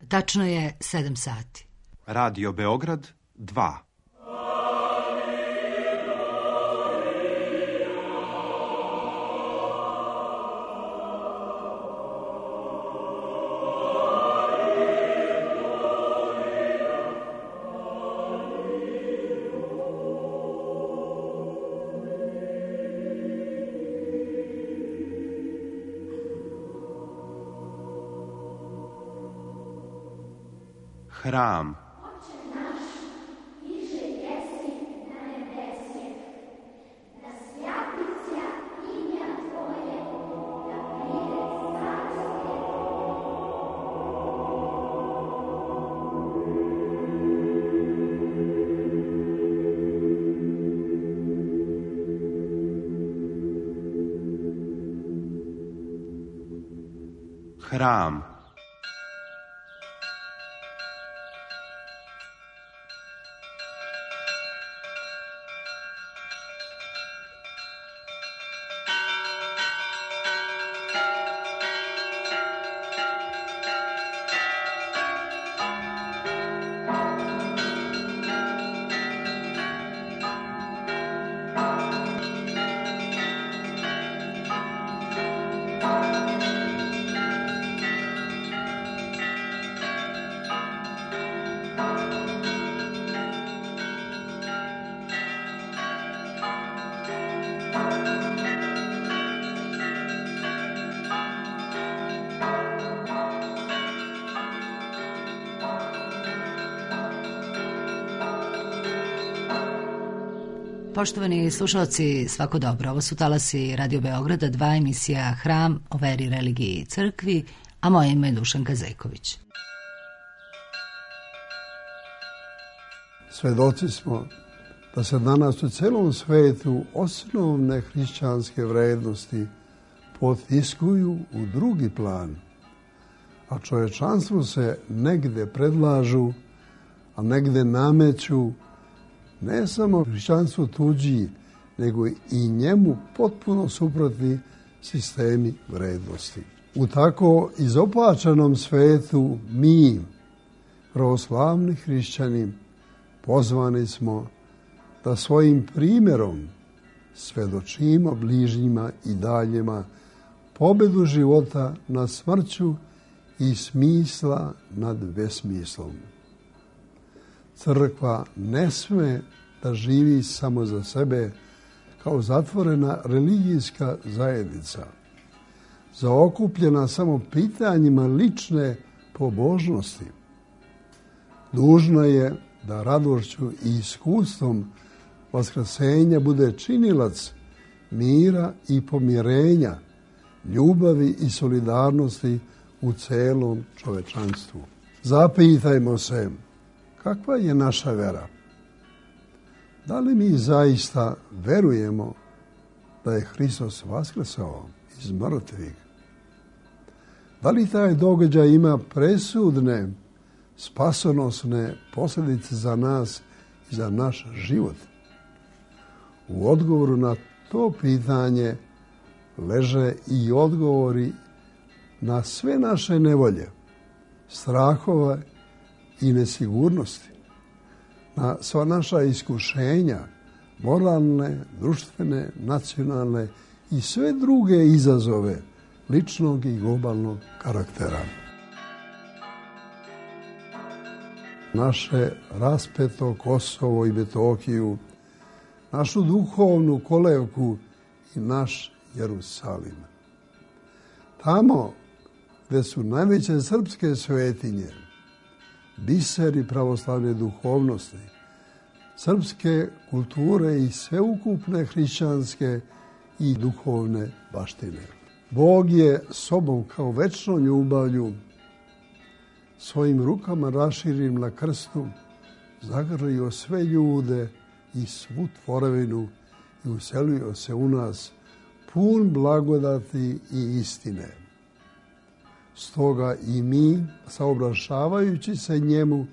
Tačno je 7 sati. Radio Beograd 2. Hram. Hram. Poštovani slušalci, svako dobro. Ovo su talasi Radio Beograda 2, emisija Hram o veri, religiji i crkvi, a moje ime je Dušanka Zejković. Svedoci smo da se danas u celom svetu osnovne hrišćanske vrednosti potiskuju u drugi plan, a čovečanstvu se negde predlažu, a negde nameću ne samo hrišćanstvo tuđi, nego i njemu potpuno suprotni sistemi vrednosti. U tako izopačenom svetu mi, pravoslavni hrišćani, pozvani smo da svojim primjerom svedočimo bližnjima i daljima pobedu života nad smrću i smisla nad besmislom. Crkva ne sme da živi samo za sebe kao zatvorena religijska zajednica, zaokupljena samo pitanjima lične pobožnosti. Dužna je da radošću i iskustvom vaskrsenja bude činilac mira i pomirenja, ljubavi i solidarnosti u celom čovečanstvu. Zapitajmo se, kakva je naša vera? Da li mi zaista verujemo da je Hristos vaskrsao iz mrtvih? Da li taj događaj ima presudne, spasonosne posljedice za nas i za naš život? U odgovoru na to pitanje leže i odgovori na sve naše nevolje, strahove i nesigurnosti, na sva naša iskušenja, moralne, društvene, nacionalne i sve druge izazove ličnog i globalnog karaktera. Naše raspeto Kosovo i Metohiju, našu duhovnu kolevku i naš Jerusalim. Tamo gde su najveće srpske svetinje, biseri pravoslavne duhovnosti, srpske kulture i sveukupne hrišćanske i duhovne baštine. Bog je sobom kao večnom ljubavlju svojim rukama raširim na krstu zagrlio sve ljude i svu tvorevinu i uselio se u nas pun blagodati i istine. Stoga i mi, saobraćavajući se njemu,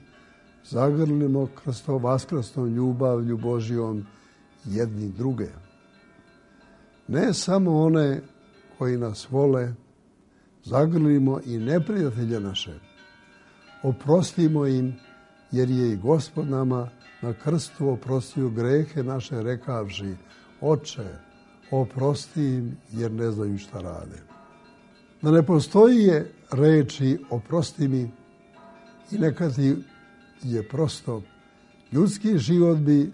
zagrlimo krsto-vaskrstnom ljubavlju Božjom jedni druge. Ne samo one koji nas vole, zagrlimo i neprijatelje naše. Oprostimo im, jer je i Gospod nama na krstu oprostio grehe naše rekavši: Oče, oprosti im, jer ne znaju šta rade. Da ne postoji je reči oprosti mi i neka ti je prosto, ljudski život bi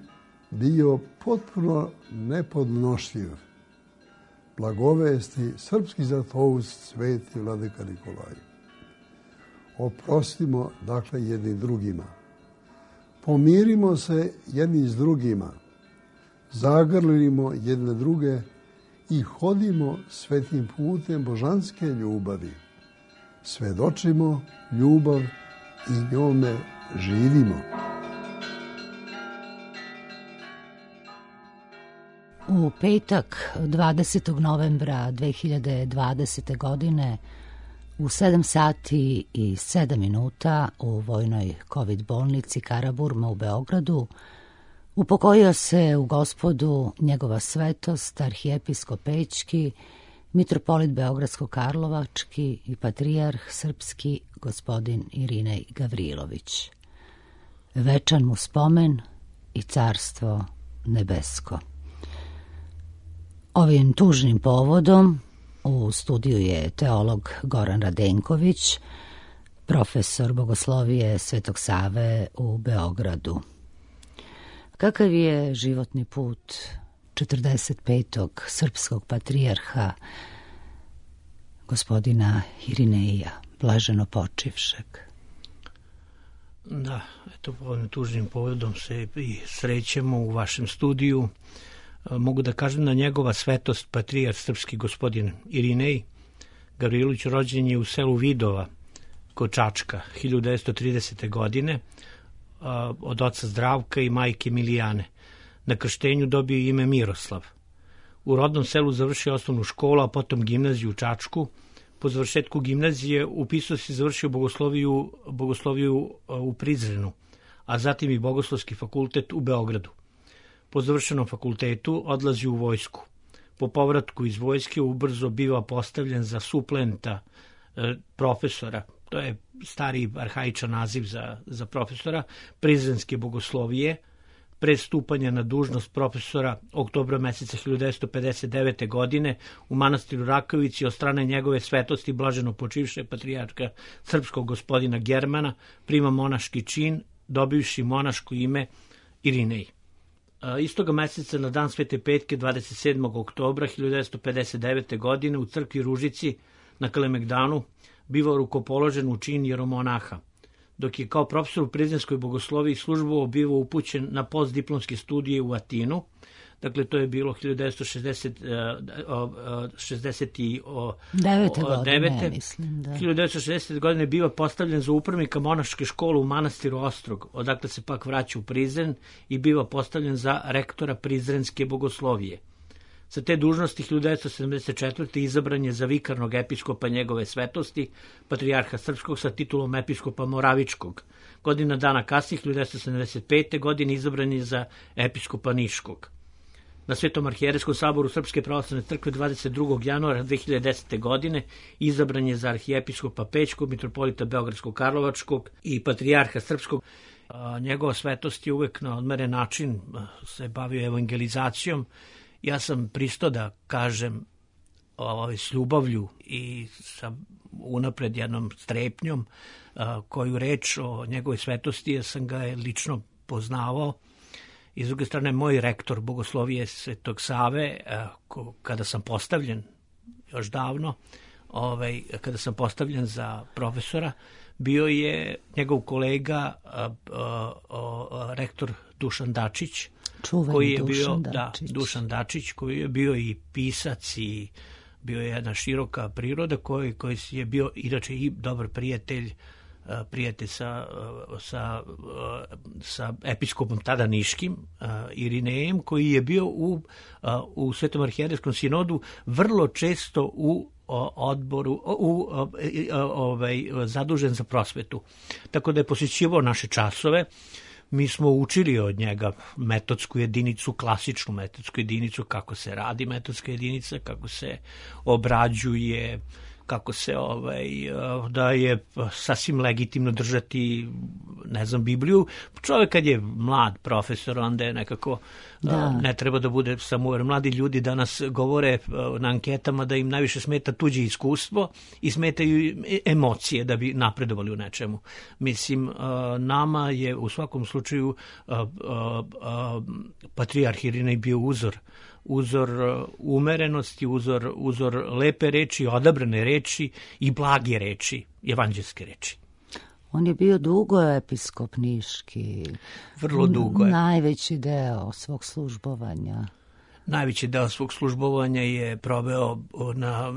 bio potpuno nepodnošljiv. Blagovesti srpski zlatoust sveti vladika Nikolaj. Oprostimo, dakle, jedni drugima. Pomirimo se jedni s drugima. Zagrlimo jedne druge i hodimo svetim putem božanske ljubavi. Svedočimo ljubav i njome živimo. U petak 20. novembra 2020. godine u 7 sati i 7 minuta u vojnoj COVID bolnici Karaburma u Beogradu upokojio se u Gospodu njegova svetost arhijepiskop Pećki, mitropolit Beogradsko-Karlovački i patrijarh srpski gospodin Irinej Gavrilović. Večan mu spomen i carstvo nebesko. Ovim tužnim povodom u studiju je teolog Goran Radenković, profesor bogoslovije Svetog Save u Beogradu. Kakav je životni put 45. srpskog patrijarha gospodina Irineja, blaženo počivšeg? Da, eto, ovim tužnim povodom se i srećemo u vašem studiju. Mogu da kažem da njegova svetost patrijarh srpski gospodin Irinej Gavrilović rođen je u selu Vidova kod Čačka 1930. godine od oca Zdravka i majke Milijane. Na krštenju dobio ime Miroslav. U rodnom selu završio osnovnu školu, a potom gimnaziju u Čačku. Po završetku gimnazije upisao se i završio bogosloviju u Prizrenu, a zatim i bogoslovski fakultet u Beogradu. Po završenom fakultetu odlazi u vojsku. Po povratku iz vojske ubrzo biva postavljen za suplenta profesora, to je stari arhaičan naziv za profesora, prizrenske bogoslovije. Pre stupanja na dužnost profesora oktobra meseca 1959. godine u manastiru Rakovici od strane njegove svetosti blaženo počivše patrijarha srpskog gospodina Germana prima monaški čin, dobivši monaško ime Irinej. Istoga meseca na dan Svete Petke 27. oktobra 1959. godine u crkvi Ružici na Kalemegdanu bivao rukopoložen u čin jeromonaha, dok je kao profesor u prizrenskoj bogosloviji službovao bivao upućen na postdiplomske studije u Atinu. Dakle, to je bilo 1960 godine bio postavljen za upravnika monaške škole u manastiru Ostrog, odakle se pak vraća u Prizren i biva postavljen za rektora prizrenske bogoslovije. Sa te dužnosti 1974. izabran je za vikarnog episkopa njegove svetosti, patrijarha srpskog sa titulom episkopa Moravičkog. Godina dana kasnije, 1975. godine, izabran je za episkopa Niškog. Na Svetom arhijerejskom saboru Srpske pravoslavne crkve 22. januara 2010. godine izabran je za arhijepiskopa Pećkog, mitropolita Beogradsko-Karlovačkog i patrijarha srpskog. Njegova svetost je uvek na odmeren način se bavio evangelizacijom. Ja sam pristao da kažem s ljubavlju i sa unapred jednom strepnjom koju reč o njegovoj svetosti, jer sam ga lično poznavao. I s druge strane, moj rektor bogoslovije Svetog Save, kada sam postavljen još davno, kada sam postavljen za profesora, bio je njegov kolega rektor Dušan Dačić, Dušan Dačić, koji je bio i pisac i bio je jedna široka priroda, koji je bio inače i dobar prijatelj sa episkopom tada niškim Irinejem, koji je bio u Svetom arhijerejskom sinodu vrlo često u odboru zadužen za prosvetu. Tako da je posjećivao naše časove. Mi smo učili od njega metodsku jedinicu, klasičnu metodsku jedinicu, kako se radi metodska jedinica, kako se obrađuje, kako se da je sasvim legitimno držati, ne znam, Bibliju. Čovjek kad je mlad profesor, onda je nekako ne treba da bude samouveren. Mladi ljudi danas govore na anketama da im najviše smeta tuđe iskustvo i smetaju emocije da bi napredovali u nečemu. Mislim, nama je u svakom slučaju patrijarh Irinej bio uzor umerenosti, uzor lepe reči, odabrane reči i blage reči, evanđelske reči. On je bio dugo episkop niški. Vrlo dugo je. Najveći deo svog službovanja. Najveći deo svog službovanja je proveo na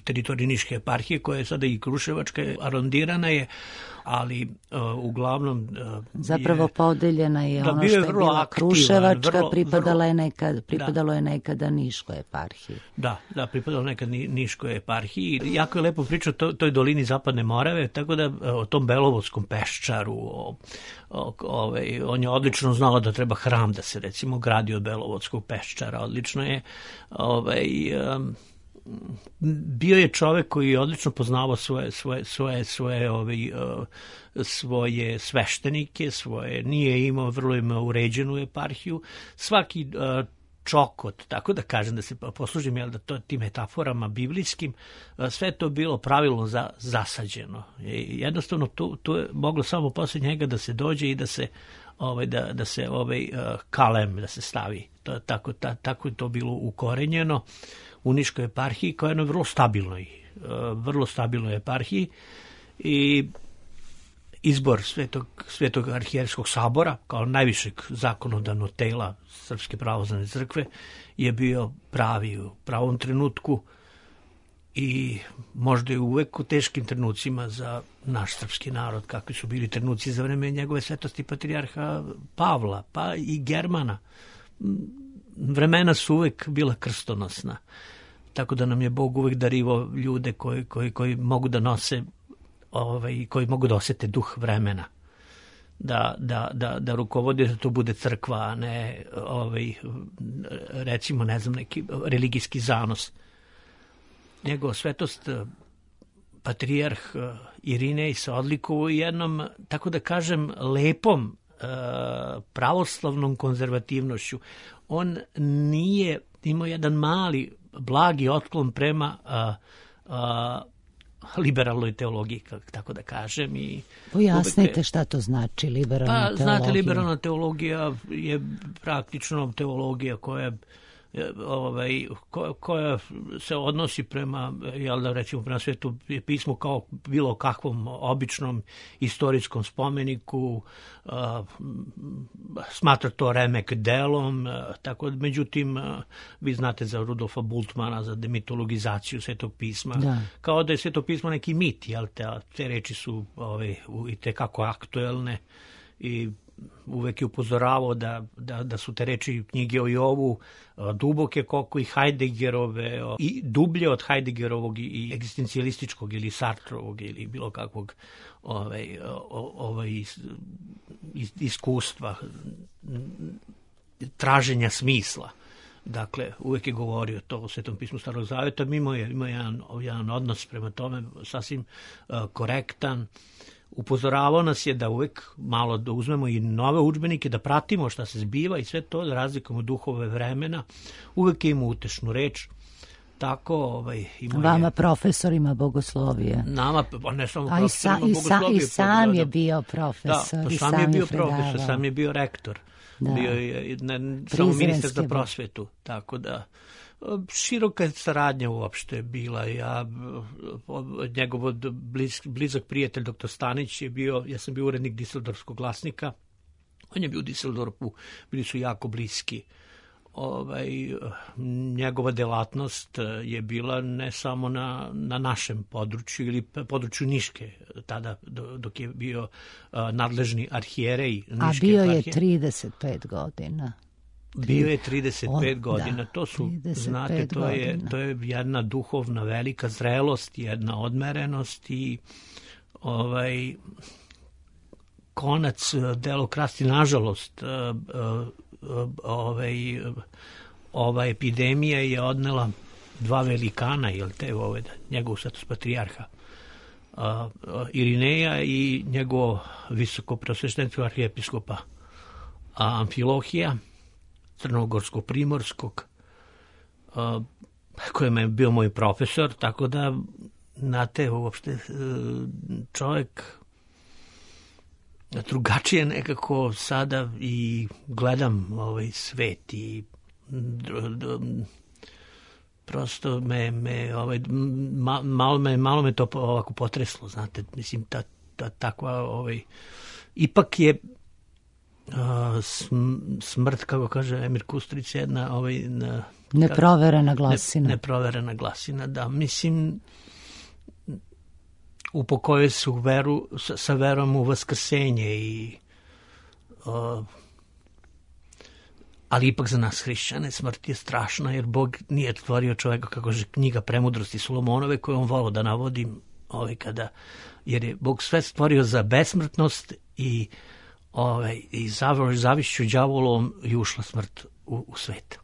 teritoriji Niške eparhije, koja je sada i Kruševačka, arondirana je, ali uglavnom zapravo podeljena je ono što je bila Kruševačka, pripadalo je nekada Niškoj eparhiji. Da, pripadalo nekad Niškoj eparhiji. Jako je lepo pričao o toj dolini Zapadne Morave, tako da o tom Belovodskom peščaru, on je odlično znao da treba hram da se recimo gradi od Belovodskog peščara. Odlično je bio je čovek koji je odlično poznavao svoje sveštenike, nije imao vrlo uređenu eparhiju. Svaki čokot, tako da kažem, da se poslužim tim metaforama biblijskim, sve to bilo pravilno zasađeno. Jednostavno tu je moglo samo posle njega da se dođe i da se kalem da se stavi. Tako je to bilo ukorenjeno u Niškoj eparhiji, koja je na vrlo stabilnoj eparhiji, i izbor Svetog arhijerejskog sabora kao najvišeg zakonodavnog tela Srpske pravoslavne crkve je bio pravi u pravom trenutku i možda je uvek u teškim trenucima za naš srpski narod, kakvi su bili trenuci za vreme njegove svetosti patrijarha Pavla, pa i Germana. Vremena su uvek bila krstonosna, tako da nam je Bog uvek darivao ljude koji mogu da nose, koji mogu da osete duh vremena, da rukovode, da to bude crkva, a ne recimo, ne znam, neki religijski zanos. Njegova svetost patrijarh Irinej se odlikovao jednom, tako da kažem, lepom pravoslavnom konzervativnošću. On nije imao jedan mali, blagi otklon prema liberalnoj teologiji, tako da kažem. Pojasnite šta to znači liberalna teologija. Znate, liberalna teologija je praktično teologija koja se odnosi prema, recimo, prema Svetom pismu kao bilo kakvom običnom istorijskom spomeniku, smatra to remek delom, tako da, međutim, vi znate za Rudolfa Bultmana, za demitologizaciju Svetog pisma, kao da je Sveto pismo neki mit, te reči su i tekako aktuelne, i uvek je upozoravao da su te reči knjige o Jovu duboke koliko i Heideggerove, i dublje od Heideggerovog i egzistencijalističkog ili Sartrovog ili bilo kakvog iskustva, traženja smisla. Dakle, uvek je govorio to o Svetom pismu Starog zaveta, imao jedan odnos prema tome sasvim korektan. Upozoravao nas je da uvek malo da uzmemo i nove udžbenike, da pratimo šta se zbiva i sve to, da razlikujemo duhove vremena. Uvek je imao utešnu reč. Tako, vama profesorima bogoslovije. Nama, ne samo profesorima bogoslovije. I sam je bio profesor. Da, sam je bio profesor, sam je bio rektor. Bio je samo ministar za prosvetu. Tako da, široka saradnja uopšte bila. Njegov blizak prijatelj dr. Stanić je bio, ja sam bio urednik Diseldorfskog glasnika, on je bio u Diseldorfu, bili su jako bliski. Njegova delatnost je bila ne samo na našem području ili području Niške, tada dok je bio nadležni arhijerej Niške. A bio je 35 godina. Bio je 35 godina. To su, znate, to je jedna duhovna velika zrelost, jedna odmerenost i konac delokrasti, nažalost, ova epidemija je odnela dva velikana, jel te, njegov svetost patrijarha Irineja i njegov visoko preosveštenstvo arhijepiskopa Amfilohija, crnogorsko-primorskog, kojem je bio moj profesor, tako da, znate, uopšte čovjek drugačije nekako sada i gledam ovaj svet i prosto malo me to ovako potreslo, znate, mislim, takva, ipak je smrt, kako kaže Emir Kusturić, jedna neproverena glasina. Neproverena glasina, da, mislim, upokojuje se sa verom u vaskrsenje i ali ipak za nas hrišćane smrt je strašna, jer Bog nije stvorio čoveka, kako kaže knjiga Premudrosti Solomonove, koju on volao da navodim, jer je Bog sve stvorio za besmrtnost i zavišću đavolom i ušla smrt u svet.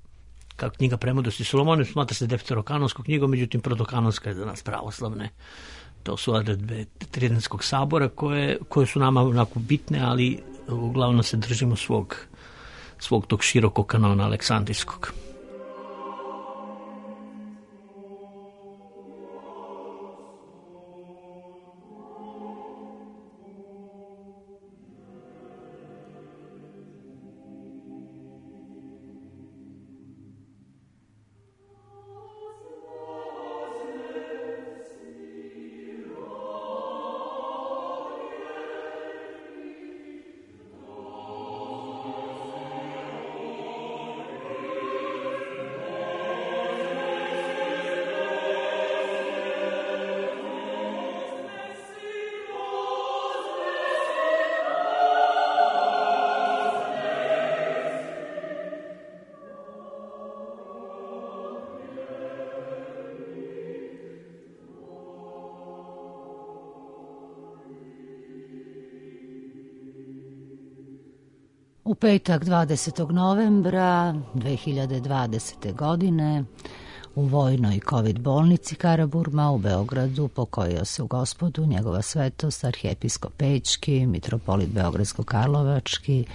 Kao knjiga Premudrosti Solomone smatra se defterokanonskom knjigom, međutim protokanonska je za nas pravoslavne. To su odredbe Tridentskog sabora koje su nama onako bitne, ali uglavnom se držimo svog tog širokog kanona aleksandrijskog. U petak 20. novembra 2020. godine u vojnoj COVID bolnici Karaburma u Beogradu pokojio se u Gospodu njegova svetost arhijepiskop Pećki, mitropolit Beogradsko-Karlovački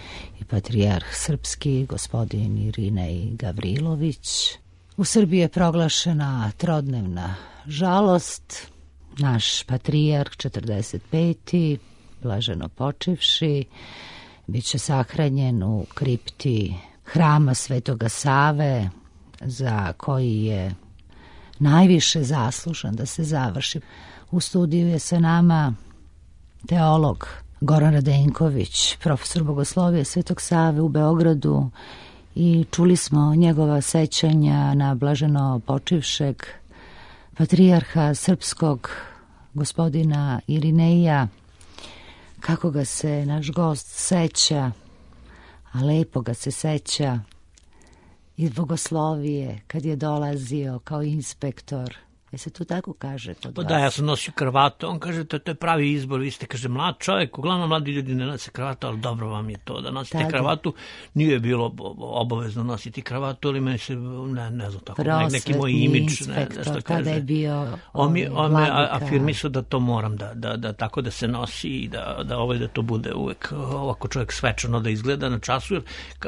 i patrijarh srpski gospodin Irinej Gavrilović. U Srbiji je proglašena trodnevna žalost. Naš patrijarh 45. blaženo počivši biće sahranjen u kripti hrama Svetoga Save, za koji je najviše zaslužan da se završi. U studiju je sa nama teolog Goran Radenković, profesor bogoslovije Svetog Save u Beogradu, i čuli smo njegova sećanja na blaženo počivšeg patrijarha srpskog gospodina Irineja, kako ga se naš gost seća, a lepo ga se seća iz bogoslovije kad je dolazio kao inspektor. Je se to tako kaže kod vas? Da, ja sam nosio kravatu, on kaže to je pravi izbor, vi ste, kaže, mlad čovjek, uglavnom mladi ljudi ne nose kravatu, ali dobro vam je to da nosite kravatu. Nije bilo obavezno nositi kravatu, ali meni se, ne znam tako, neki moj imidž, inspektor, tada je bio on me afirmisao da to moram, da tako da se nosi i da to bude uvek ovako čovjek svečano da izgleda na času, jer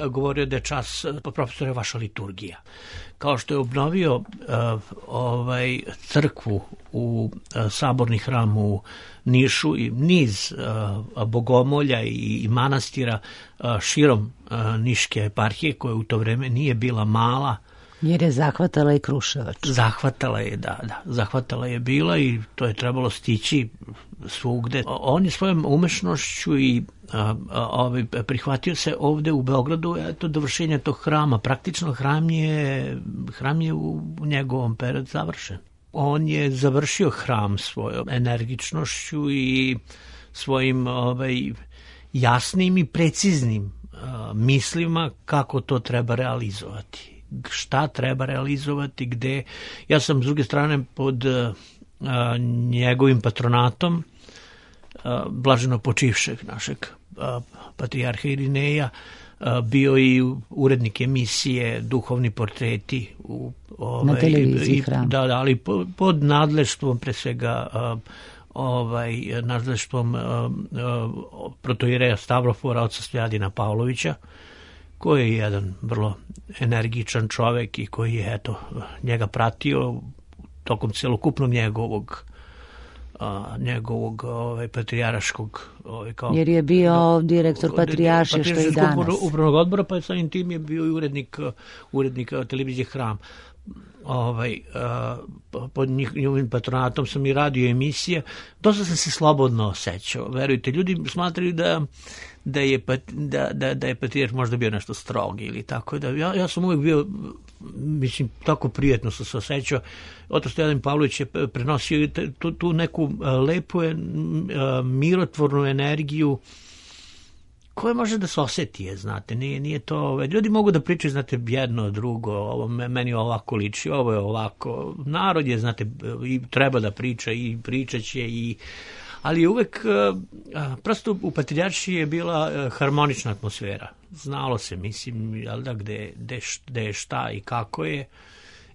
govorio da je čas, profesor, je vaša liturgija. Kao što je obnovio crkvu u saborni hram u Nišu i niz bogomolja i manastira širom Niške eparhije, koja u to vreme nije bila mala. Jer je zahvatala i Kruševac. Zahvatala je, da. Zahvatala je bila i to je trebalo stići svugde. On je svojom umešnošću i prihvatio se ovde u Beogradu dovršenje tog hrama. Praktično hram je u njegovom periodu završen. On je završio hram svojom energičnošću i svojim jasnim i preciznim mislima kako to treba realizovati. Šta treba realizovati, gde. Ja sam s druge strane pod njegovim patronatom blaženo počivšeg našeg patrijarha Irineja, bio i urednik emisije Duhovni portreti na televiziji Hram. Da, ali pod nadleštvom pre svega nadleštvom protoijereja Stavrofora, oca Stojadina Pavlovića, koji je jedan vrlo energičan čovek i koji je njega pratio tokom celokupnog njegovog patrijaraškog jer je bio direktor patrijaršije što i danas upravnog odbora, pa samim tim je bio i urednik televizije Hram. Pod njihovim patronatom sam i radio emisije. Dosta sam se slobodno osjećao, verujte. Ljudi smatraju da je patrijarh možda bio nešto strog ili tako. Ja sam uvijek bio, mislim, tako prijetno sam se osjećao. Otac Stojadan Pavlović je prenosio tu neku lepu mirotvornu energiju koje može da se osjeti, znate, nije to, ljudi mogu da pričaju, znate, jedno, drugo, ovo meni ovako liči, ovo je ovako, narod je, znate, i treba da priča i pričat će, ali uvek, prosto u patrijaršiji je bila harmonična atmosfera, znalo se, mislim, jel da, gde je šta i kako je,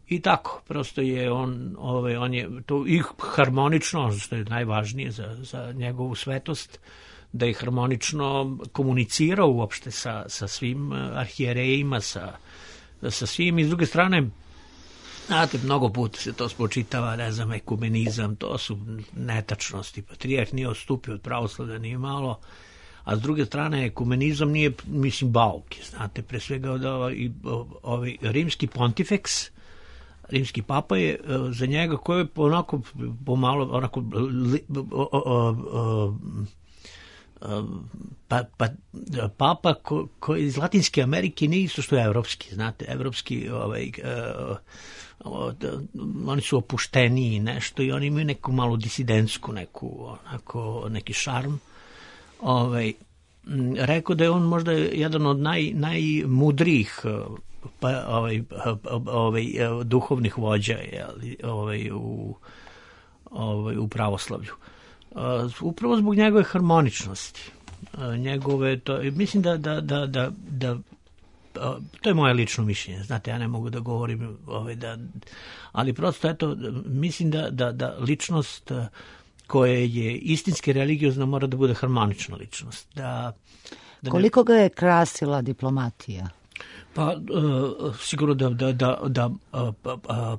i tako, prosto je on je to i harmonično, što je najvažnije za njegovu svetost, da je harmonično komunicirao uopšte sa svim arhijerejima, sa svim. I s druge strane, znate, mnogo puta se to spočitava, ne znam, ekumenizam, to su netačnosti. Patrijarh nije odstupio od pravoslavlja, nije malo, a s druge strane, ekumenizam nije, mislim, bauke, znate, pre svega ovaj rimski pontifeks, rimski papa je za njega koji je onako pomalo, onako papa koji iz Latinske Amerike nije isto što je evropski, znate, evropski oni su opušteniji nešto i oni imaju neku malo disidentsku neki šarm. Rekao da je on možda jedan od najmudrijih duhovnih vođa u pravoslavlju. Upravo zbog njegove harmoničnosti, mislim da to je moje lično mišljenje, znate, ja ne mogu da govorim, ali prosto, eto, mislim da ličnost koja je istinski religiozna mora da bude harmonična ličnost. Koliko ga je krasila diplomatija? Pa sigurno da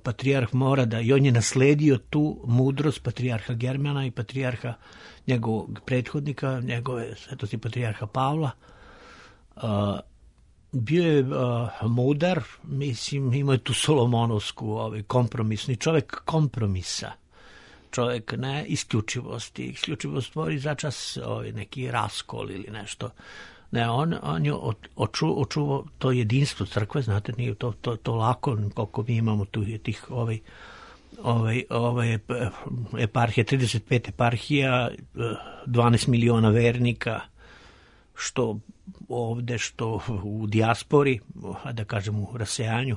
patrijarh mora da, i on je nasledio tu mudrost patrijarha Germana i patrijarha njegovog prethodnika, njegove svetosti patrijarha Pavla. Bio je mudar, mislim, imao je tu solomonovsku kompromisni čovjek kompromisa. Čovjek ne isključivosti. Isključivost stvori začas neki raskol ili nešto. Ne, on je očuvao to jedinstvo crkve, znate, nije to lako, koliko mi imamo tu tih eparhije, 35 eparhija, 12 miliona vernika, što ovde, što u dijaspori, da kažem u rasejanju,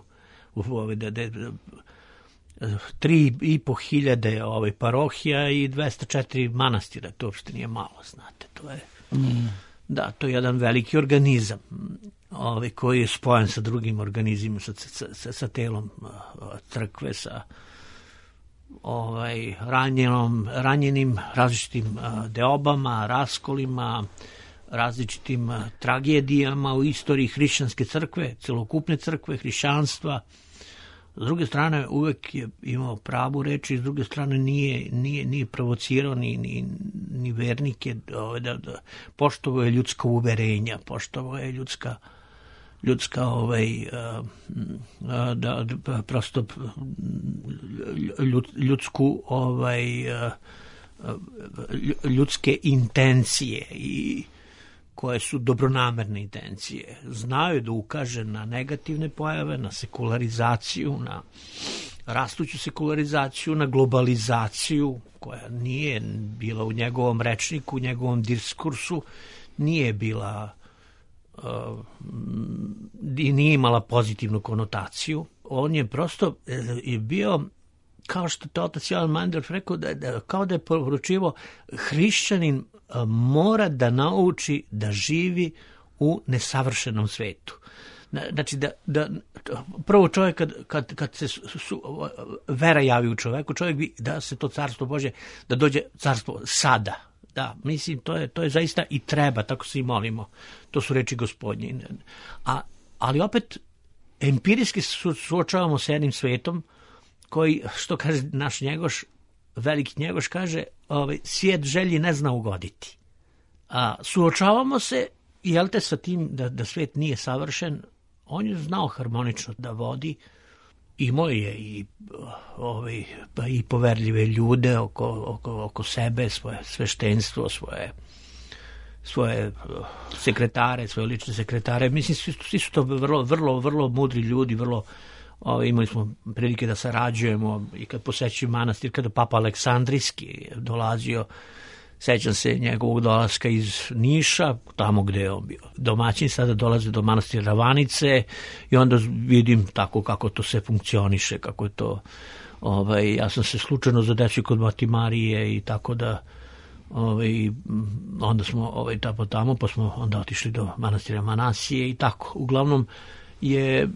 3.500 parohija i 204 manastira, to uopšte nije malo, znate, to je... Da, to je jedan veliki organizam koji je spojen sa drugim organizmima, sa telom crkve, sa ranjenim različitim deobama, raskolima, različitim tragedijama u istoriji hrišćanske crkve, celokupne crkve, hrišćanstva. S druge strane, uvek je imao pravu reč i s druge strane nije provocirao ni vernike, da poštovao je ljudska uverenja, poštovao je prosto ljudske intencije i koje su dobronamerne intencije. Znaju da ukaže na negativne pojave, na sekularizaciju, na rastuću sekularizaciju, na globalizaciju, koja nije bila u njegovom rečniku, u njegovom diskursu, nije bila i nije imala pozitivnu konotaciju. On je prosto bio kao što to otac Jovan Mandel rekao, kao da je poručivo, hrišćanin mora da nauči da živi u nesavršenom svetu. Znači, prvo čovjek, kad se vera javi u čovjeku, čovjek bi da se to carstvo Božje, da dođe carstvo sada. Da, mislim, to je zaista i treba, tako se i molimo. To su reči Gospodnje. Ali opet, empirijski suočavamo sa jednim svetom koji, što kaže naš Njegoš, veliki Njegoš kaže, svijet želji ne zna ugoditi. Suočavamo se, jel te, sa tim da svijet nije savršen. On je znao harmonično da vodi, imao je i poverljive ljude oko sebe, svoje sveštenstvo, svoje sekretare, svoje lične sekretare. Mislim, svi su to vrlo mudri ljudi, imali smo prilike da sarađujemo i kad posećujem manastir, kada Papa Aleksandrijski dolazio, sećam se njegovog dolaska iz Niša, tamo gde je on bio domaćin, sada dolaze do manastira Ravanice i onda vidim tako kako to sve funkcioniše, kako je to, ja sam se slučajno zadesio kod Mati Marije i tako da, onda smo tamo, pa smo onda otišli do manastira Manasije i tako. Uglavnom je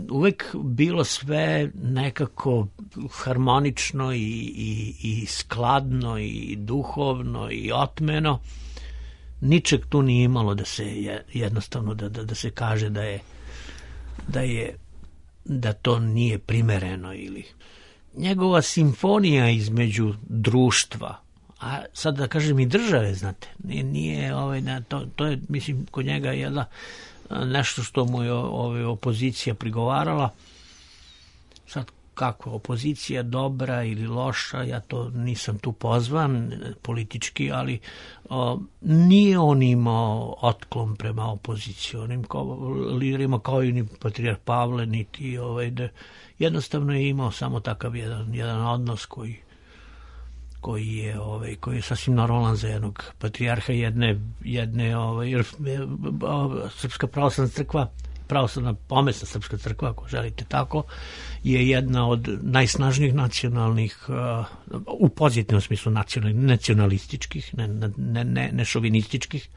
uvek bilo sve nekako harmonično i skladno i duhovno i otmeno. Ničeg tu nije imalo da se jednostavno da se kaže da to nije primereno ili njegova simfonija između društva, a sad da kažem i države, znate, nije to je, mislim, kod njega jedna nešto što mu je opozicija prigovarala. Sad kako, opozicija dobra ili loša, ja to nisam tu pozvan politički, ali nije on imao otklon prema opozicionim liderima, kao i ni patrijarh Pavle, niti jednostavno je imao samo takav jedan odnos koji je sasvim normalan za jednog patrijarha jedne Srpska pravoslavna crkva, pravoslavna pomesna Srpska crkva, ako želite tako, je jedna od najsnažnijih nacionalnih, u pozitivnom smislu nacionalističkih, ne šovinističkih,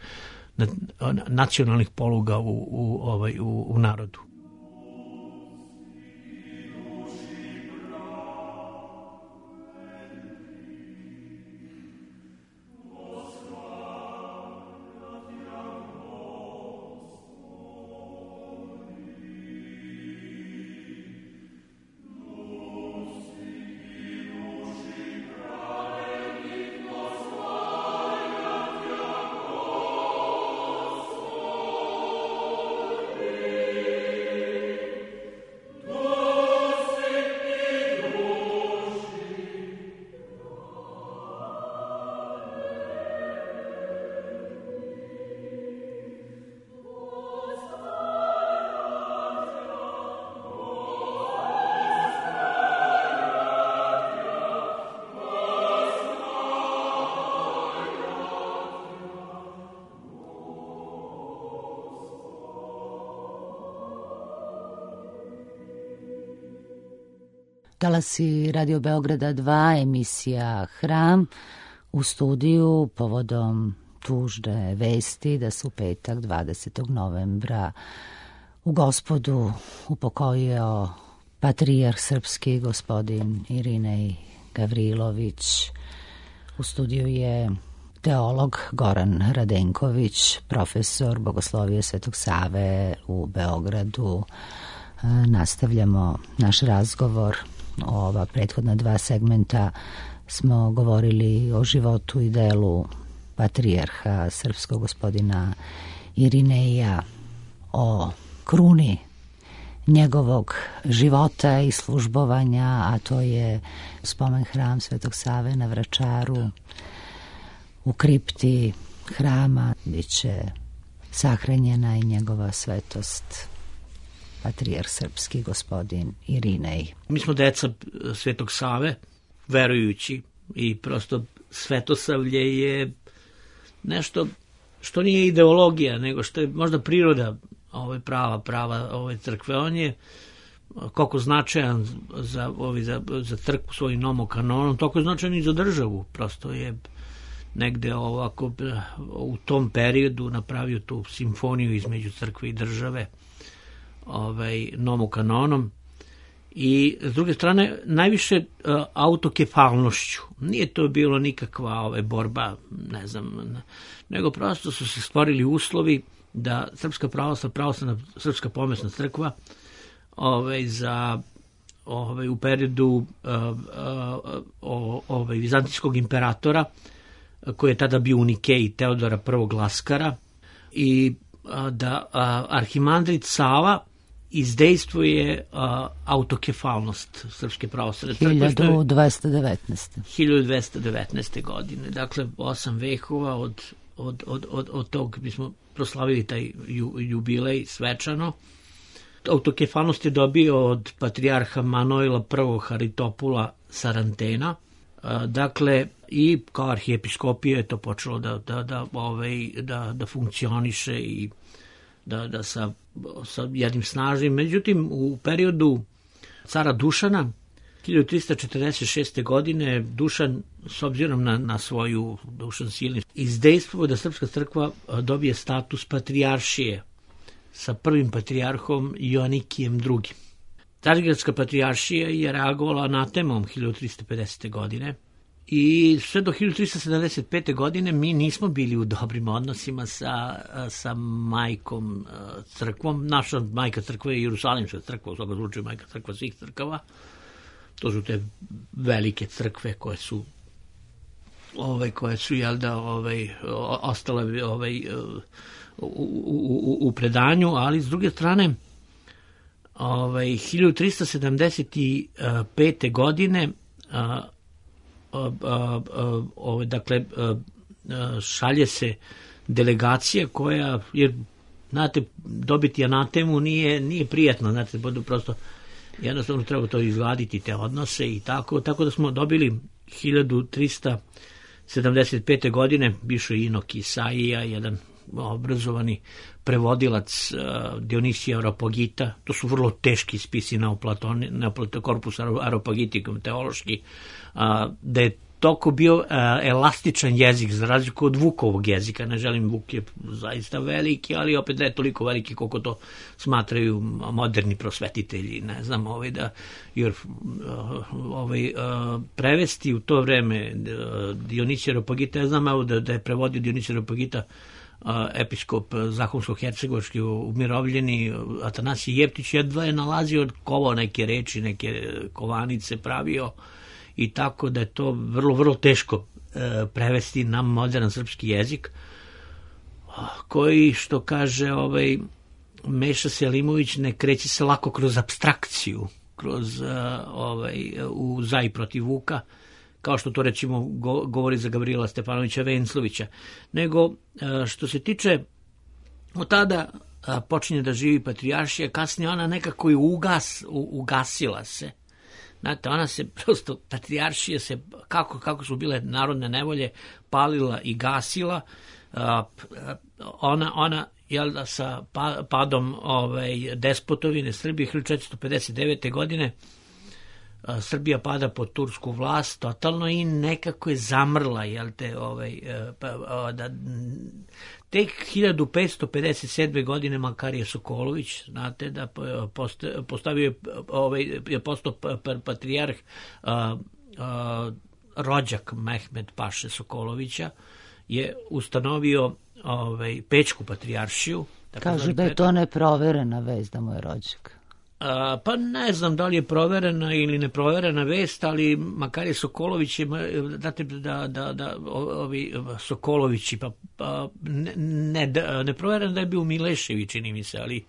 nacionalnih poluga u narodu. Talasi Radio Beograda 2, emisija Hram, u studiju povodom tužne vesti da se u petak 20. novembra u Gospodu upokojio patrijarh srpski gospodin Irinej Gavrilović. U studiju je teolog Goran Radenković, profesor Bogoslovije Svetog Save u Beogradu. Nastavljamo naš razgovor. Ova prethodna dva segmenta smo govorili o životu i delu patrijarha srpskog gospodina Irineja, o kruni njegovog života i službovanja, a to je spomen hram Svetog Save na Vračaru. U kripti hrama biće sahranjena i njegova svetost, patrijarh srpski gospodin Irinej. Mi smo deca Svetog Save, verujući, i prosto svetosavlje je nešto što nije ideologija, nego što je možda priroda prava ove crkve. On je koliko značajan za crkvu svojim nomokanonom, toliko je značajan i za državu. Prosto je negde ovako u tom periodu napravio tu simfoniju između crkve i države nomokanonom. I s druge strane najviše autokefalnošću. Nije to bilo nikakva borba, ne znam, nego prosto su se stvorili uslovi da Srpska pravoslavna Srpska pomesna crkva u periodu vizantijskog imperatora, koji je tada bio u Nikeji, Teodora I. Laskara, i da arhimandrit Sava izdejstvuje autokefalnost Srpske pravoslavne crkve. 1219. godine. Dakle, 8 vekova od tog mi smo proslavili taj jubilej svečano. Autokefalnost je dobio od patrijarha Manojla I. Haritopula Sarantena. Dakle, i kao arhijepiskopija je to počelo da funkcioniše i da sa jednim snažnim. Međutim, u periodu cara Dušana, 1346. godine, Dušan, s obzirom na svoju Dušan silni, izdejstvuje da Srpska crkva dobije status patrijaršije sa prvim patrijarhom Joanikijem II. Carigradska patrijaršija je reagovala anatemom 1350. godine i sve do 1375. godine mi nismo bili u dobrim odnosima sa majkom crkvom. Naša majka crkva je Jerusalimska crkva, u svakom slučaju majka crkva svih crkava. To su te velike crkve koje su ostale u predanju, ali s druge strane 1375. godine dakle šalje se delegacija koja, jer znate, dobiti anatemu nije prijatno, znate, prosto jednostavno treba to izgladiti, te odnose i tako da smo dobili 1375. godine bivši Inok Isaija, jedan obrazovani prevodilac Dionisija Areopagita. To su vrlo teški spisi Corpus Areopagitikum teološki, da je toliko bio elastičan jezik za razliku od Vukovog jezika. Ne želim, Vuk je zaista veliki, ali opet ne toliko veliki koliko to smatraju moderni prosvetitelji. Ne znam, jer prevesti u to vreme Dionisija Areopagita, ja znam da je prevodio Dionisija Areopagita episkop Zahumsko-hercegovački umirovljeni Atanasije Jeftić, jedva je nalazio kovao neke reči, neke kovanice pravio, i tako da je to vrlo, vrlo teško prevesti na modern srpski jezik, koji, što kaže Meša Selimović, ne kreće se lako kroz apstrakciju, kroz u za i protiv Vuka, kao što to recimo govori za Gavrila Stefanovića Venclovića, nego što se tiče od tada počinje da živi patrijaršija, kasnije ona nekako i ugasila se. Znate, ona se prosto, patrijaršija se, kako su bile narodne nevolje, palila i gasila. Ona sa padom despotovine Srbije 1459. godine Srbija pada pod tursku vlast totalno i nekako je zamrla, tek 1557. godine Makarije Sokolović, znate, da postavio je postao patrijarh rođak Mehmed Paše Sokolovića, je ustanovio Pećku patrijaršiju. Kažu da je to neproverena vest da mu je rođak. Pa ne znam da li je proverena ili neproverena vest, ali Makarije Sokolović je, znate da ovi Sokolovići, ne proverena da je bio Milešević, čini mi se, ali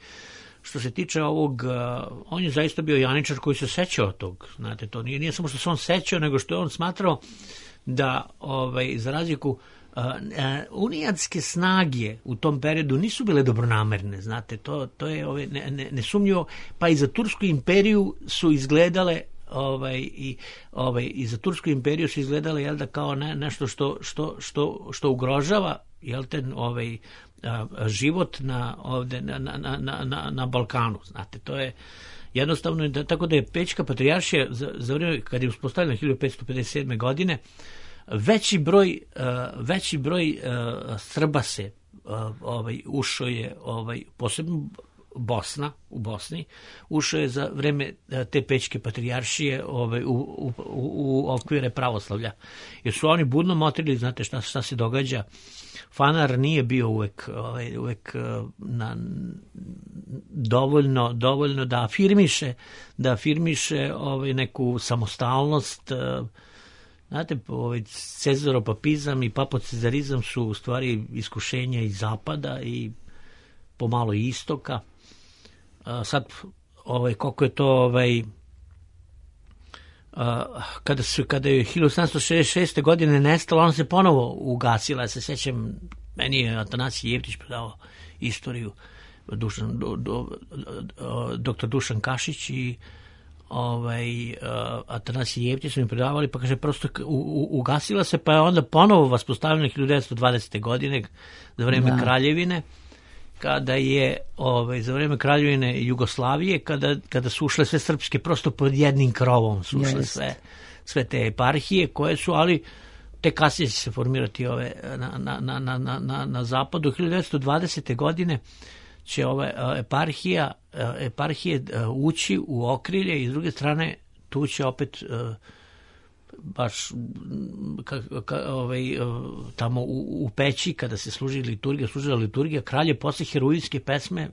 što se tiče ovog, on je zaista bio janičar koji se sećao tog, znate, to nije samo što se on sećao, nego što je on smatrao da, za razliku, unijatske snage u tom periodu nisu bile dobronamerne, znate, to je nesumnjivo, pa i za Tursku imperiju su izgledale i za Tursku imperiju su izgledale kao nešto što ugrožava život na Balkanu, znate, to je Jednostavno je tako da je Pećka patrijaršija za vreme kad je uspostavljena 1557. godine veći broj Srba se ušao je posebno u Bosni ušao je za vreme te Pećke patrijaršije u okvire pravoslavlja, jer su oni budno motrili, znate šta se događa. Fanar nije bio uvek dovoljno da afirmiše neku samostalnost. Znate, cezaropapizam i papocezarizam su u stvari iskušenja iz zapada i pomalo i istoka. Sad, koliko je to kada je 1766. godine nestalo, ona se ponovo ugasila. Ja se sećam, meni je Atanasije Jevtić predavao istoriju, doktor Dušan Kašić i Atanasije Jevtić su mi predavali, pa kaže prosto ugasila se, pa je onda ponovo vaspostavljena 1920. godine za vreme Kraljevine, kada je za vreme Kraljevine Jugoslavije, kada su ušle sve srpske, prosto pod jednim krovom su ušle sve te eparhije koje su, ali te kasnije će se formirati na zapadu. 1920. godine će eparhije ući u okrilje i s druge strane tu će opet baš tamo u Peći kada se služila liturgija, kralj je posle heroijske pesme,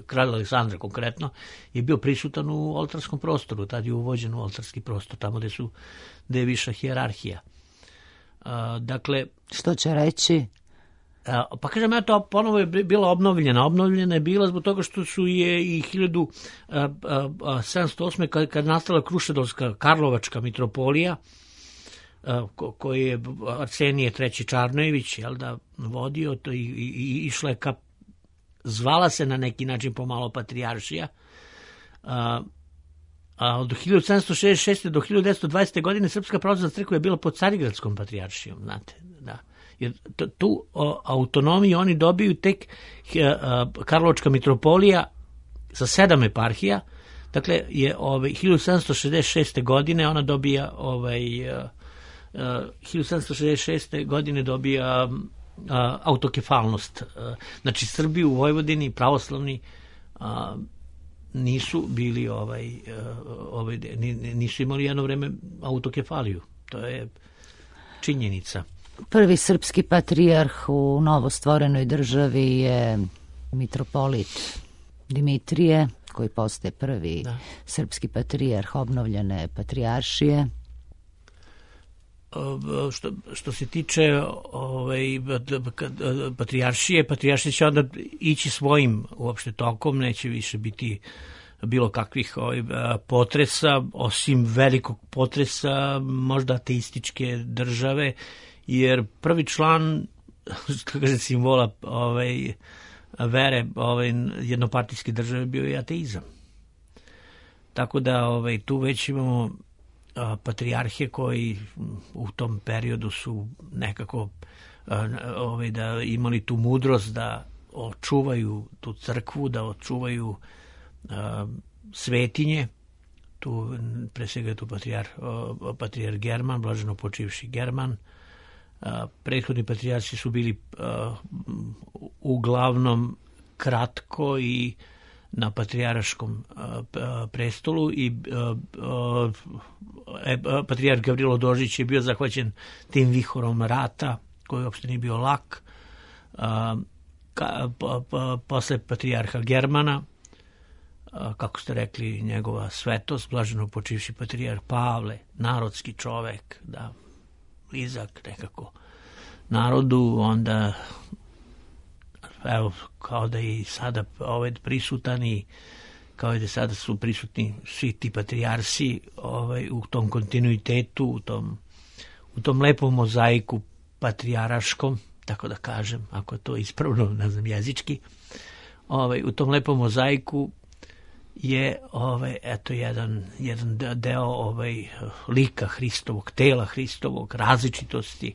kralj Aleksandra konkretno, je bio prisutan u oltarskom prostoru, tad je uvođen u oltarski prostor, tamo gde je viša hijerarhija. Dakle, što će reći? Pa kažem, to ponovo je bila obnovljena je bila zbog toga što su je i 1708. kad nastala Krušedolska Karlovačka mitropolija, koji je Arsenije III. Čarnojević vodio, to i išla je zvala se na neki način pomalo patrijaršija. Od 1766. do 1920. godine Srpska pravoslavna crkva je bila pod Carigradskom patrijaršijom, znate, da. Jer tu autonomiju oni dobiju tek Karlovačka mitropolija sa 7 eparhija, dakle je 1766. godine ona dobija 1766. godine dobija autokefalnost. Znači Srbi u Vojvodini pravoslavni nisu bili nisu imali jedno vreme autokefaliju. To je činjenica. Prvi srpski patrijarh u novostvorenoj državi je mitropolit Dimitrije, koji postaje prvi srpski patrijarh obnovljene patrijaršije. Što se tiče patrijaršije će onda ići svojim uopšte tokom, neće više biti bilo kakvih potresa, osim velikog potresa možda ateističke države, jer prvi član, što kaže, simbola vere jednopartijske države bio je ateizam. Tako da tu već imamo patrijarhe koji u tom periodu su nekako da imali tu mudrost da očuvaju tu crkvu, da očuvaju svetinje. Tu pre svega je tu patrijarh German, blaženo počivši German. Prethodni patrijarsi su bili uglavnom kratko i na patrijarškom prestolu i patrijarh Gavrilo Dožić je bio zahvaćen tim vihorom rata koji uopšte nije bio lak. Posle patrijarha Germana, kako ste rekli, njegova svetost, blaženo počivši patrijarh Pavle, narodski čovek, da, blizak nekako narodu, onda evo, kao da i sada prisutan i kao i da sada su prisutni svi ti patrijarsi u tom kontinuitetu, u tom lepom mozaiku patriaraškom, tako da kažem, ako je to ispravno, ne znam, jezički, u tom lepom mozaiku je eto jedan deo lika Hristovog, tela Hristovog, različitosti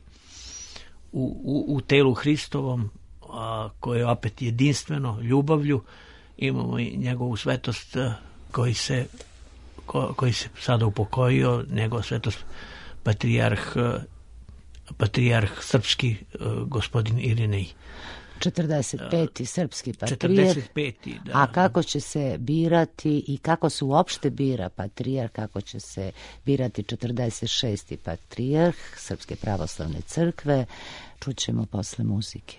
u telu Hristovom, koje je opet jedinstveno ljubavlju. Imamo i njegovu svetost koji se sada upokojio, njegov svetost patrijarh srpski gospodin Irinej. 45. srpski patrijarh. 45. da. A kako će se birati i kako se uopšte bira patrijarh, kako će se birati 46. patrijarh Srpske pravoslavne crkve, čućemo posle muzike.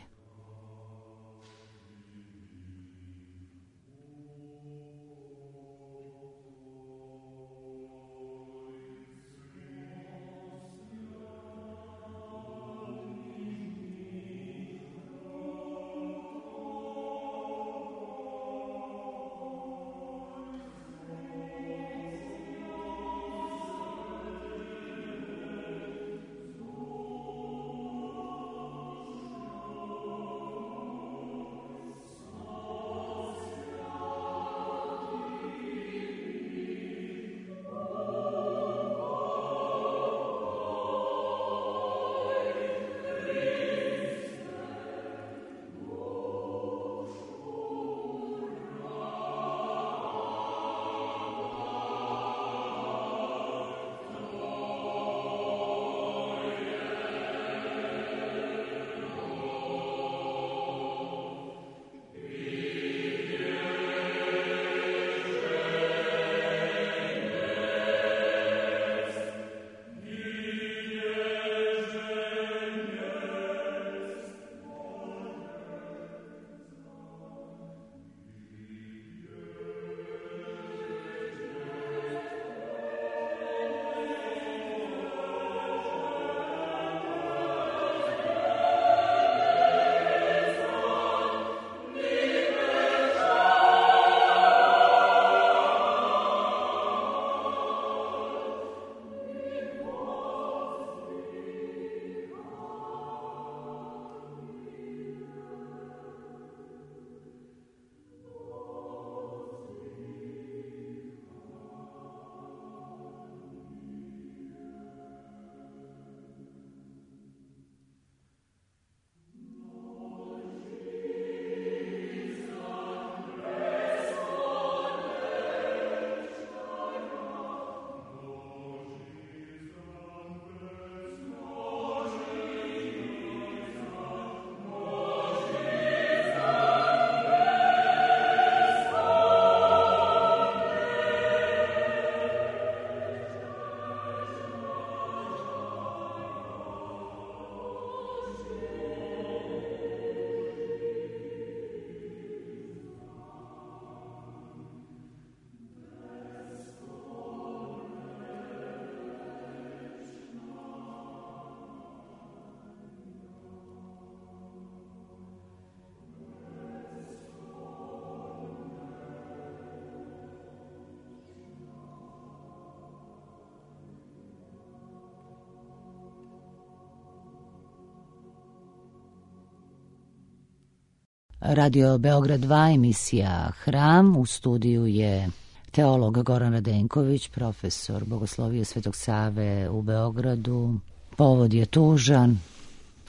Radio Beograd 2, emisija Hram. U studiju je teolog Goran Radenković, profesor Bogoslovije Svetog Save u Beogradu. Povod je tužan,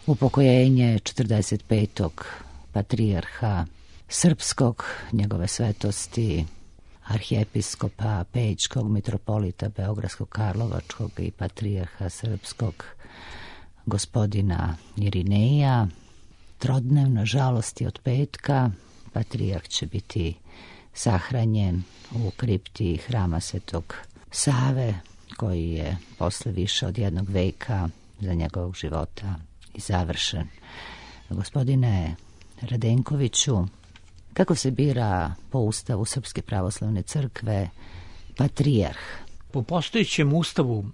upokojenje 45. patrijarha srpskog, njegove svetosti, arhijepiskopa Pećkog, mitropolita Beogradskog, Karlovačkog i patrijarha srpskog gospodina Irineja. Trodnevna žalosti od petka. Patrijarh će biti sahranjen u kripti hrama Svetog Save, koji je posle više od jednog veka za njegovog života i završen. Gospodine Radenkoviću, kako se bira po ustavu Srpske pravoslavne crkve patrijarh? Po postojećem ustavu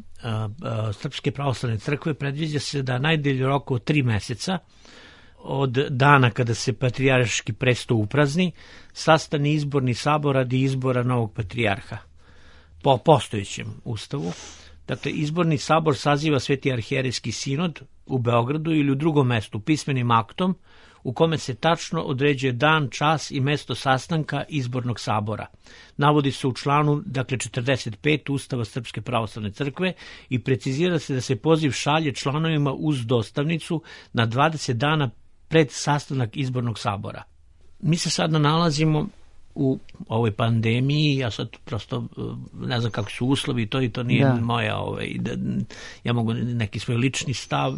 Srpske pravoslavne crkve predviđa se da najdalji rok od 3 meseca od dana kada se patrijarški presto uprazni, sastane izborni sabor radi izbora novog patrijarha. Po postojećem ustavu, dakle, izborni sabor saziva Sveti arhijerejski sinod u Beogradu ili u drugom mestu pismenim aktom u kome se tačno određuje dan, čas i mesto sastanka izbornog sabora. Navodi se u članu, dakle, 45 Ustava Srpske pravoslavne crkve i precizira se da se poziv šalje članovima uz dostavnicu na 20 dana pred sastanak izbornog sabora. Mi se sada nalazimo u ovoj pandemiji, ja sad prosto ne znam kako su uslovi, to i to nije moja, ja mogu neki svoj lični stav,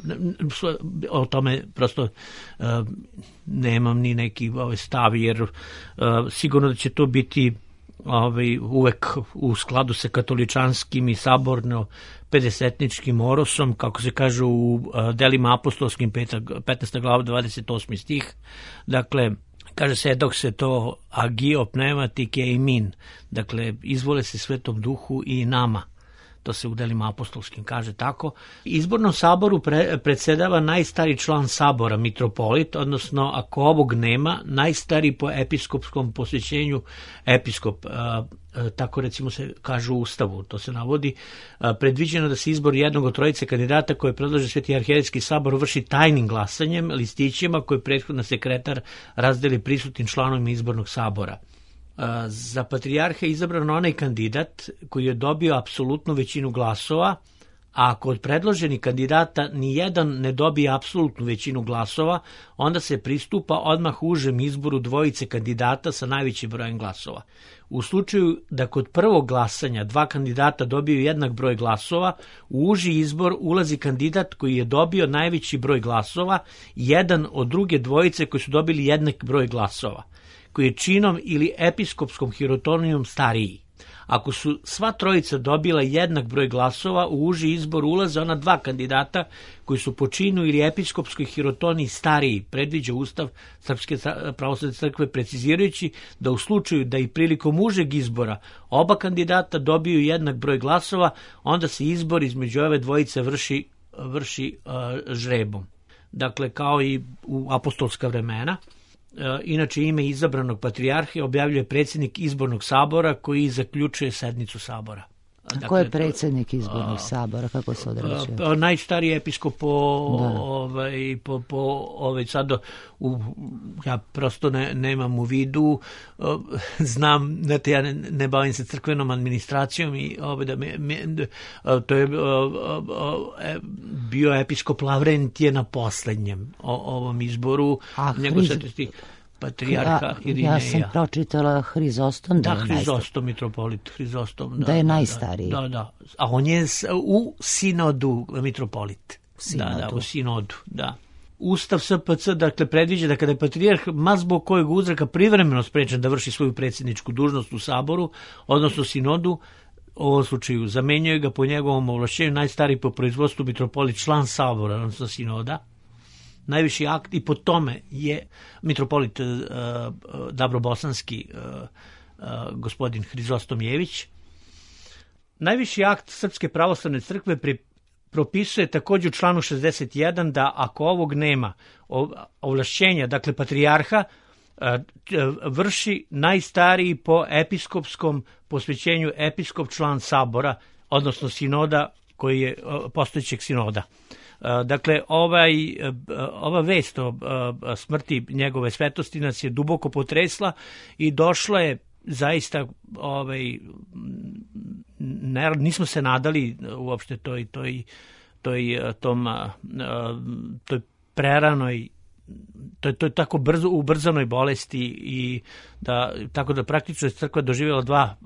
o tome prosto nemam ni neki stav, jer sigurno da će to biti uvek u skladu sa katoličanskim i saborno pedesetničkim orosom, kako se kaže u delima apostolskim 15. glava 28. stih. Dakle, kaže se dok se to agio pneumatike i min, dakle izvole se Svetom Duhu i nama. To se u delima apostolskim kaže tako. Izbornom saboru predsedava najstari član sabora, mitropolit, odnosno ako ovog nema, najstari po episkopskom posvećenju episkop. Tako recimo se kaže u Ustavu, to se navodi. Predviđeno da se izbor jednog od trojice kandidata koje predlaže Sveti arhijerejski sabor vrši tajnim glasanjem, listićima koje prethodno sekretar razdeli prisutnim članovima izbornog sabora. Za patrijarha je izabran onaj kandidat koji je dobio apsolutnu većinu glasova, a ako od predloženih kandidata ni jedan ne dobije apsolutnu većinu glasova, onda se pristupa odmah užem izboru dvojice kandidata sa najvećim brojem glasova. U slučaju da kod prvog glasanja dva kandidata dobiju jednak broj glasova, u uži izbor ulazi kandidat koji je dobio najveći broj glasova, jedan od druge dvojice koji su dobili jednak broj glasova, koji je činom ili episkopskom hirotonijom stariji. Ako su sva trojica dobila jednak broj glasova, u uži izbor ulaze ona dva kandidata koji su po činu ili episkopskoj hirotoniji stariji, predviđa Ustav Srpske pravoslavne crkve, precizirajući da u slučaju da i prilikom užeg izbora oba kandidata dobiju jednak broj glasova, onda se izbor između ove dvojice vrši žrebom. Dakle, kao i u apostolska vremena. Inače, ime izabranog patrijarha objavljuje predsjednik izbornog sabora koji zaključuje sednicu sabora. Dakle, ko je predsjednik izbornog sabora? Kako se određuje? Najstariji episkop sad ja prosto nemam u vidu, znam, znate, ja ne bavim se crkvenom administracijom i to je bio episkop Lavrentije na poslednjem ovom izboru. Patrijarha Irineja. Ja sam pročitala Hrizostom da je najstariji. Hrizostom, mitropolit Hrizostom. Da je najstariji. Da. A on je u sinodu mitropolit. U sinodu, da. Ustav SPC, dakle, predviđa da kada je patrijarh ma zbog kojeg uzraka privremeno sprečen da vrši svoju predsjedničku dužnost u saboru, odnosno sinodu, u ovom slučaju zamenjuje ga po njegovom ovlašćenju najstariji po proizvodstvu mitropolit, član sabora, odnosno sinoda. Najviši akt i po tome je mitropolit Dabrobosanski gospodin Hrizostom Jević. Najviši akt Srpske pravoslavne crkve propisuje također u članu 61 da ako ovog nema ovlašćenja, dakle patrijarha, vrši najstariji po episkopskom posvećenju episkop član sabora, odnosno sinoda koji je postojećeg sinoda. Dakle, ova vest o smrti njegove svetosti nas je duboko potresla i došla je zaista, nismo se nadali uopšte toj preranoj, to je tako brzo ubrzanoj bolesti i tako da praktično je crkva doživjela dva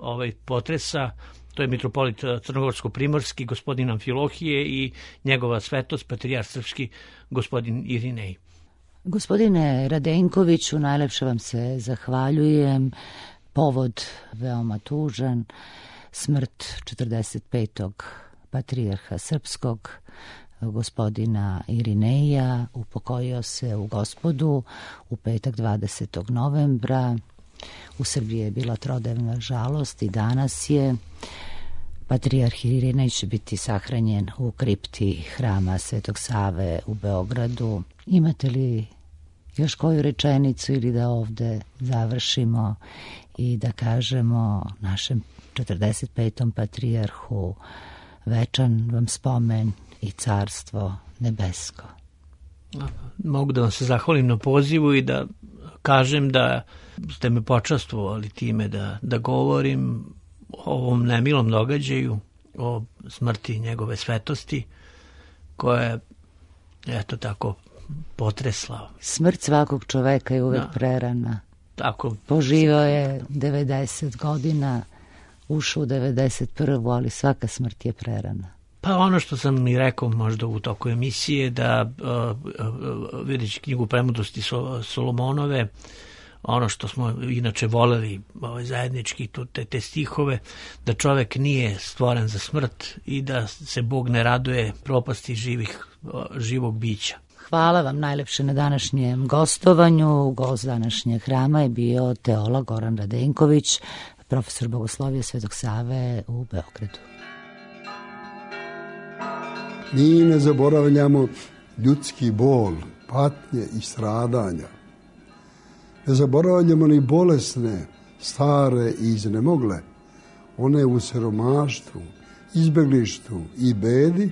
potresa. To je mitropolit Crnogorsko-primorski, gospodin Amfilohije, i njegova svetost, patrijarh srpski, gospodin Irinej. Gospodine Radenkoviću, najlepše vam se zahvaljujem. Povod veoma tužan, smrt 45. patrijarha srpskog, gospodina Irineja, upokojio se u Gospodu u petak 20. novembra. U Srbiji je bila trodnevna žalost i danas je. Patrijarh Irinej će biti sahranjen u kripti hrama Svetog Save u Beogradu. Imate li još koju rečenicu ili da ovde završimo i da kažemo našem 45. patrijarhu večan vam spomen i carstvo nebesko? Mogu da vam se zahvalim na pozivu i da kažem da ste me počastvovali time da govorim o ovom nemilom događaju, o smrti njegove svetosti, koja je, eto tako, potresla. Smrt svakog čoveka je uvek prerana. tako. Poživao je 90 godina, ušao u 91. ali svaka smrt je prerana. Pa ono što sam i rekao možda u toku emisije, da videći knjigu Premudrosti Solomonove, ono što smo inače voleli zajednički, te stihove, da čovek nije stvoren za smrt i da se Bog ne raduje propasti živog bića. Hvala vam najlepše na današnjem gostovanju. Gost današnjeg hrama je bio teolog Goran Radenković, profesor bogoslovije Svetog Save u Beogradu. Mi ne zaboravljamo ljudski bol, patnje i stradanja. Ne zaboravljamo ni bolesne, stare i iznemogle, one u siromaštvu, izbeglištvu i bedi,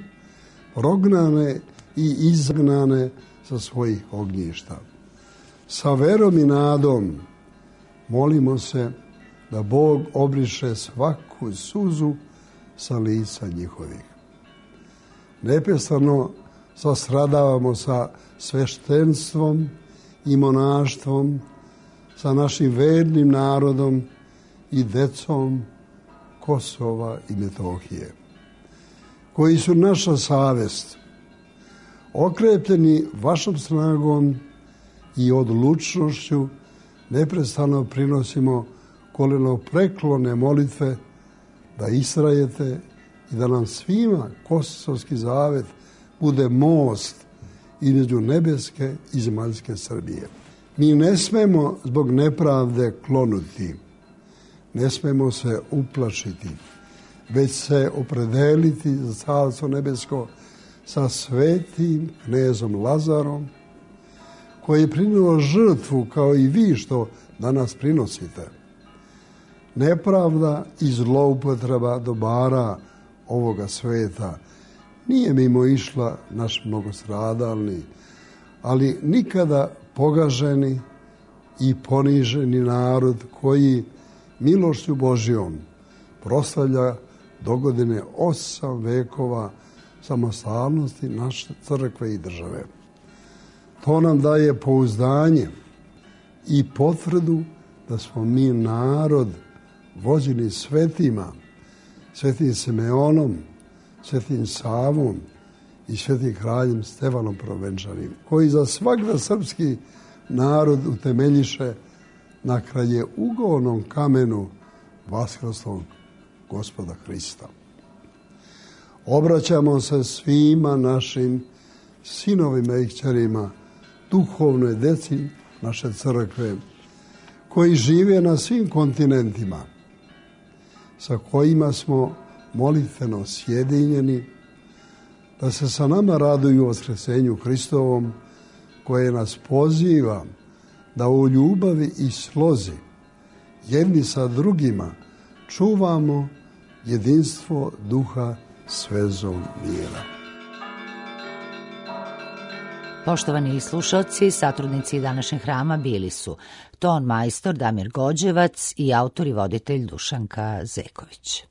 prognane i izgnane sa svojih ognjišta. Sa verom i nadom molimo se da Bog obriše svaku suzu sa lica njihovih. Neprestano sastradavamo sa sveštenstvom i monaštvom, sa našim vernim narodom i decom Kosova i Metohije, koji su naša savest. Okrepljeni vašom snagom i odlučnošću neprestano prinosimo kolenopreklone molitve da istrajete i da nam svima Kosovski zavet bude most između nebeske i zemaljske Srbije. Mi ne smemo zbog nepravde klonuti, ne smemo se uplašiti, već se opredeliti za Carstvo nebesko sa svetim knezom Lazarom, koji je prinio žrtvu kao i vi što danas prinosite. Nepravda i zloupotreba dobara ovoga sveta nije mimo išla naš mnogostradalni, ali nikada pogaženi i poniženi narod koji milošću Božjom proslavlja dogodine 8 vekova samostalnosti naše crkve i države. To nam daje pouzdanje i potvrdu da smo mi narod vođeni svetima, svetim Simeonom, svetim Savom i svetim kraljem Stefanom Prvenčanim, koji za svakda srpski narod utemeljiše na kraljeugovnom kamenu vaskrslog Gospoda Hrista. Obraćamo se svima našim sinovima i kćerima, duhovnoj deci naše crkve, koji žive na svim kontinentima, sa kojima smo molitveno sjedinjeni, da se sa nama raduju u vaskrsenju Hristovom, koje nas poziva da u ljubavi i slozi jedni sa drugima čuvamo jedinstvo duha s vezom mira. Poštovani slušalci, satrudnici današnjeg hrama bili su ton majstor Damir Gođevac i autor i voditelj Dušanka Zeković.